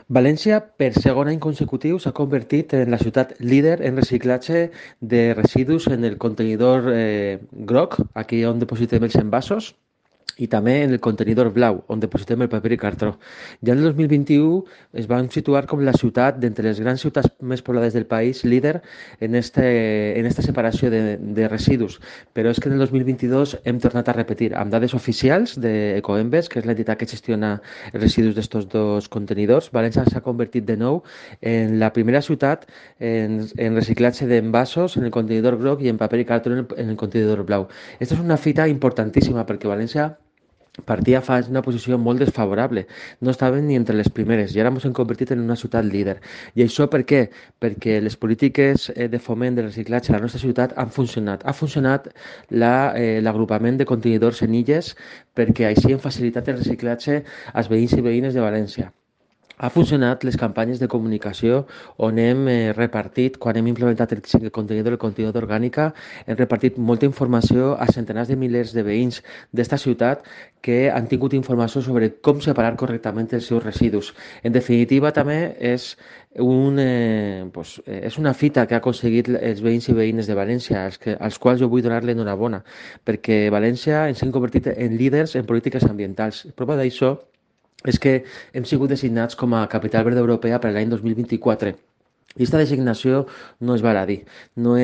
València, per segon any consecutiu, s'ha convertit en la ciutat líder en reciclatge de residus en el contenidor groc, aquí on depositem els envasos, i també en el contenidor blau, on depositem el paper i cartró. Ja en el 2021 es van situar com la ciutat, d'entre les grans ciutats més poblades del país, líder en esta separació de residus. Però és que en el 2022 hem tornat a repetir, amb dades oficials d'Ecoembes, que és l'entitat que gestiona els residus d'estos dos contenidors, València s'ha convertit de nou en la primera ciutat en reciclatge d'envasos en el contenidor groc i en paper i cartró en el contenidor blau. Aquesta és una fita importantíssima perquè València partia fa una posició molt desfavorable. No estaven ni entre les primeres i ara ens hem convertit en una ciutat líder. I això per què? Perquè les polítiques de foment de reciclatge a la nostra ciutat han funcionat. Ha funcionat l'agrupament de contenidors en illes perquè així hem facilitat el reciclatge als veïns i veïnes de València. Ha funcionat les campanyes de comunicació on hem repartit, quan hem implementat el contenidor orgànica, hem repartit molta informació a centenars de milers de veïns d'esta ciutat que han tingut informació sobre com separar correctament els seus residus. En definitiva, també és una fita que ha aconseguit els veïns i veïnes de València, als quals jo vull donar l'enhorabona, perquè València ens hem convertit en líders en polítiques ambientals. Prova d'això és que hem sigut designats com a capital verda europea per l'any 2024. I aquesta designació no és baladí, no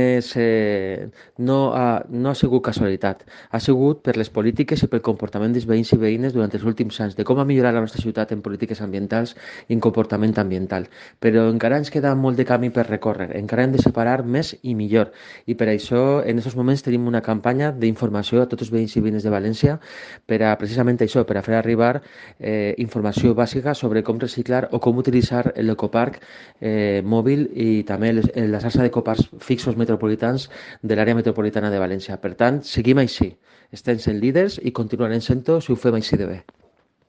ha sigut casualitat, ha sigut per les polítiques i pel comportament dels veïns i veïnes durant els últims anys, de com ha millorat la nostra ciutat en polítiques ambientals i en comportament ambiental. Però encara ens queda molt de camí per recórrer, encara hem de separar més i millor, i per això en aquests moments tenim una campanya d'informació a tots els veïns i veïnes de València per a precisament això, per a fer arribar informació bàsica sobre com reciclar o com utilitzar l'ecoparc mòbil i també la xarxa d'ecoparcs fixos metropolitans de l'àrea metropolitana de València. Per tant, seguim així. Estem sent líders i continuarem sent-ho si ho fem així de bé.